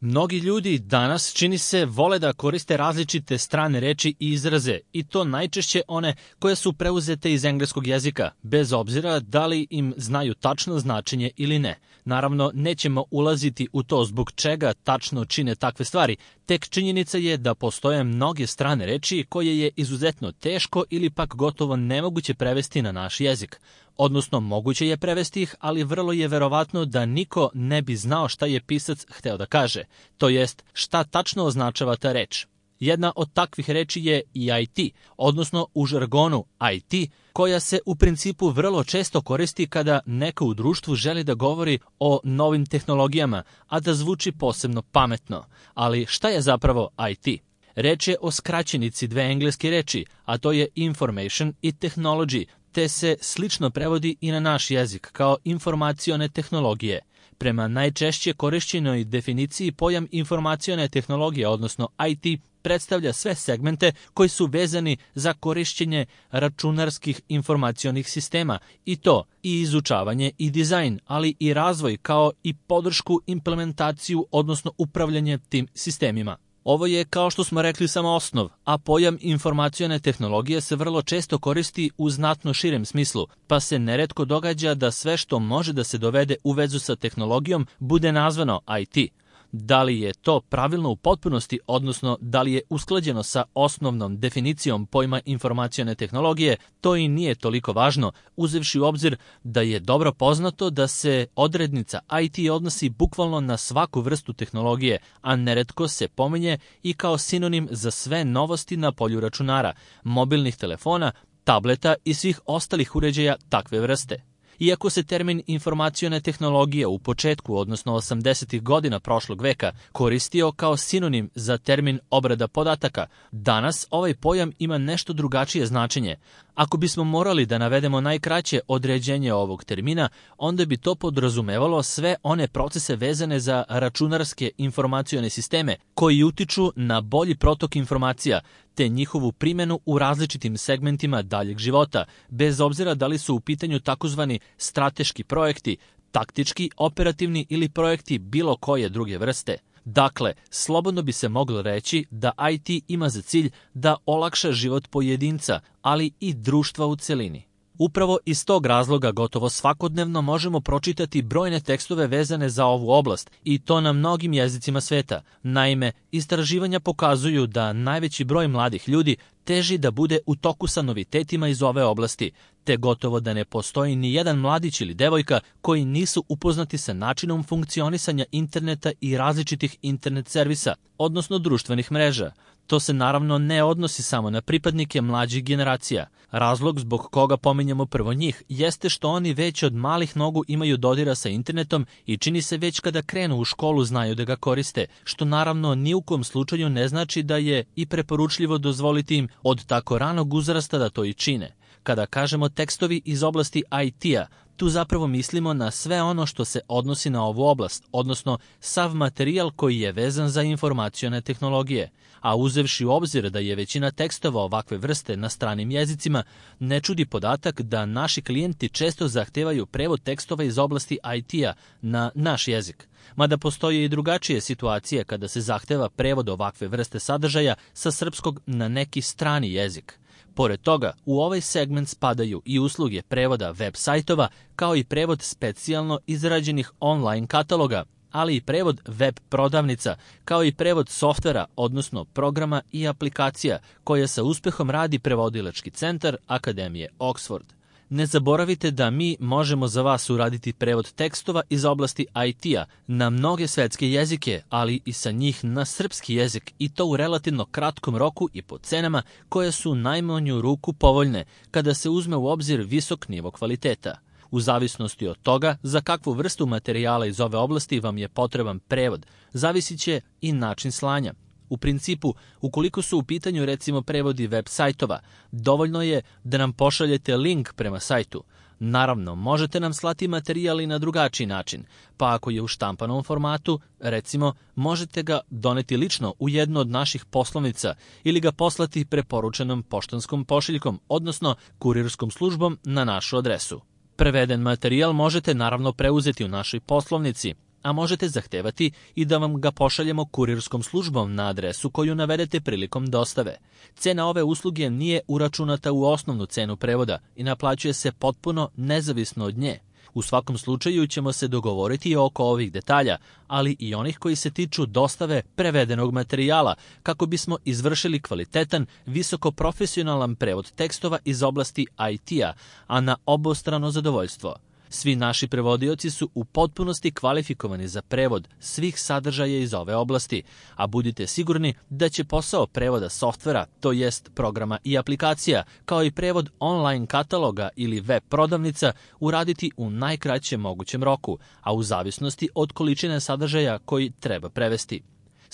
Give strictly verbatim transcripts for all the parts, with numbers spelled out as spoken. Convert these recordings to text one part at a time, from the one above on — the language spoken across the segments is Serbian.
Mnogi ljudi danas, čini se, vole da koriste različite strane reči i izraze, i to najčešće one koje su preuzete iz engleskog jezika, bez obzira da li im znaju tačno značenje ili ne. Naravno, nećemo ulaziti u to zbog čega tačno čine takve stvari, tek činjenica je da postoje mnoge strane reči koje je izuzetno teško ili pak gotovo nemoguće prevesti na naš jezik. Odnosno, moguće je prevesti ih, ali vrlo je verovatno da niko ne bi znao šta je pisac hteo da kaže, to jest šta tačno označava ta reč. Jedna od takvih reči je i I T, odnosno u žargonu I T, koja se u principu vrlo često koristi kada neko u društvu želi da govori o novim tehnologijama, a da zvuči posebno pametno. Ali šta je zapravo I T? Reč je o skraćenici dve engleske reči, a to je information i technology, te se slično prevodi i na naš jezik kao informacione tehnologije. Prema najčešće korišćenoj definiciji, pojam informacione tehnologije, odnosno I T, predstavlja sve segmente koji su vezani za korišćenje računarskih informacionih sistema, i to i izučavanje i dizajn, ali i razvoj kao i podršku, implementaciju, odnosno upravljanje tim sistemima. Ovo je, kao što smo rekli, samo osnov, a pojam informacione tehnologije se vrlo često koristi u znatno širem smislu, pa se neretko događa da sve što može da se dovede u vezu sa tehnologijom bude nazvano I T. Da li je to pravilno u potpunosti, odnosno da li je usklađeno sa osnovnom definicijom pojma informacione tehnologije, to i nije toliko važno, uzevši u obzir da je dobro poznato da se odrednica I T odnosi bukvalno na svaku vrstu tehnologije, a neretko se pominje i kao sinonim za sve novosti na polju računara, mobilnih telefona, tableta i svih ostalih uređaja takve vrste. Iako se termin informacione tehnologije u početku, odnosno osamdesetih godina prošlog veka, koristio kao sinonim za termin obrada podataka, danas ovaj pojam ima nešto drugačije značenje. Ako bismo morali da navedemo najkraće određenje ovog termina, onda bi to podrazumevalo sve one procese vezane za računarske informacione sisteme koji utiču na bolji protok informacija, te njihovu primjenu u različitim segmentima daljeg života, bez obzira da li su u pitanju takozvani strateški projekti, taktički, operativni ili projekti bilo koje druge vrste. Dakle, slobodno bi se moglo reći da I T ima za cilj da olakša život pojedinca, ali i društva u celini. Upravo iz tog razloga gotovo svakodnevno možemo pročitati brojne tekstove vezane za ovu oblast, i to na mnogim jezicima sveta. Naime, istraživanja pokazuju da najveći broj mladih ljudi teži da bude u toku sa novitetima iz ove oblasti, te gotovo da ne postoji ni jedan mladić ili devojka koji nisu upoznati sa načinom funkcionisanja interneta i različitih internet servisa, odnosno društvenih mreža. To se naravno ne odnosi samo na pripadnike mlađih generacija. Razlog zbog koga pominjemo prvo njih jeste što oni već od malih nogu imaju dodira sa internetom i čini se već kada krenu u školu znaju da ga koriste, što naravno ni u kom slučaju ne znači da je i preporučljivo dozvoliti im od tako ranog uzrasta da to i čine. Kada kažemo tekstovi iz oblasti I T-a, tu zapravo mislimo na sve ono što se odnosi na ovu oblast, odnosno sav materijal koji je vezan za informacione tehnologije. A uzevši u obzir da je većina tekstova ovakve vrste na stranim jezicima, ne čudi podatak da naši klijenti često zahtevaju prevod tekstova iz oblasti I T-a na naš jezik. Mada postoje i drugačije situacije kada se zahteva prevod ovakve vrste sadržaja sa srpskog na neki strani jezik. Pored toga, u ovaj segment spadaju i usluge prevoda web sajtova, kao i prevod specijalno izrađenih online kataloga, ali i prevod web prodavnica, kao i prevod softvera, odnosno programa i aplikacija, koje sa uspehom radi prevodilački centar Akademije Oxford. Ne zaboravite da mi možemo za vas uraditi prevod tekstova iz oblasti I T-a na mnoge svetske jezike, ali i sa njih na srpski jezik, i to u relativno kratkom roku i po cenama koje su najmanju ruku povoljne kada se uzme u obzir visok nivo kvaliteta. U zavisnosti od toga za kakvu vrstu materijala iz ove oblasti vam je potreban prevod, zavisit će i način slanja. U principu, ukoliko su u pitanju recimo prevodi web sajtova, dovoljno je da nam pošaljete link prema sajtu. Naravno, možete nam slati materijal i na drugačiji način, pa ako je u štampanom formatu, recimo, možete ga doneti lično u jednu od naših poslovnica ili ga poslati preporučenom poštanskom pošiljkom, odnosno kurirskom službom na našu adresu. Preveden materijal možete naravno preuzeti u našoj poslovnici. a možete zahtevati i da vam ga pošaljemo kurirskom službom na adresu koju navedete prilikom dostave. Cena ove usluge nije uračunata u osnovnu cenu prevoda i naplaćuje se potpuno nezavisno od nje. U svakom slučaju ćemo se dogovoriti oko ovih detalja, ali i onih koji se tiču dostave prevedenog materijala, kako bismo izvršili kvalitetan, visokoprofesionalan prevod tekstova iz oblasti I T-a, a na obostrano zadovoljstvo. Svi naši prevodioci su u potpunosti kvalifikovani za prevod svih sadržaja iz ove oblasti, a budite sigurni da će posao prevoda softvera, to jest programa i aplikacija, kao i prevod online kataloga ili web prodavnica, uraditi u najkraćem mogućem roku, a u zavisnosti od količine sadržaja koji treba prevesti.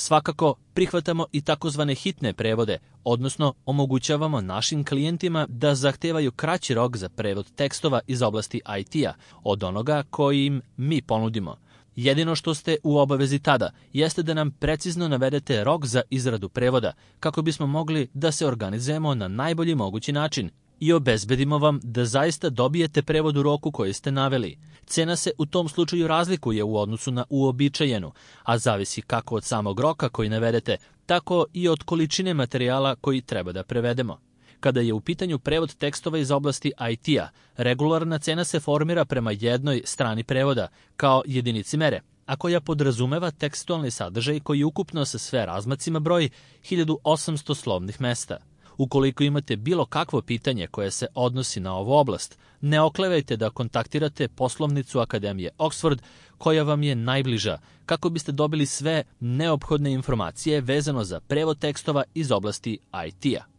Svakako, prihvatamo i takozvane hitne prevode, odnosno omogućavamo našim klijentima da zahtevaju kraći rok za prevod tekstova iz oblasti I T-a od onoga koji im mi ponudimo. Jedino što ste u obavezi tada jeste da nam precizno navedete rok za izradu prevoda, kako bismo mogli da se organizujemo na najbolji mogući način i obezbedimo vam da zaista dobijete prevod u roku koji ste naveli. Cena se u tom slučaju razlikuje u odnosu na uobičajenu, a zavisi kako od samog roka koji navedete, tako i od količine materijala koji treba da prevedemo. Kada je u pitanju prevod tekstova iz oblasti I T-a, regularna cena se formira prema jednoj strani prevoda, kao jedinici mere, a koja podrazumeva tekstualni sadržaj koji ukupno sa sve razmacima broji hiljadu osamsto slovnih mesta. Ukoliko imate bilo kakvo pitanje koje se odnosi na ovu oblast, ne oklevajte da kontaktirate poslovnicu Akademije Oxford, koja vam je najbliža, kako biste dobili sve neophodne informacije vezano za prevod tekstova iz oblasti I T-a.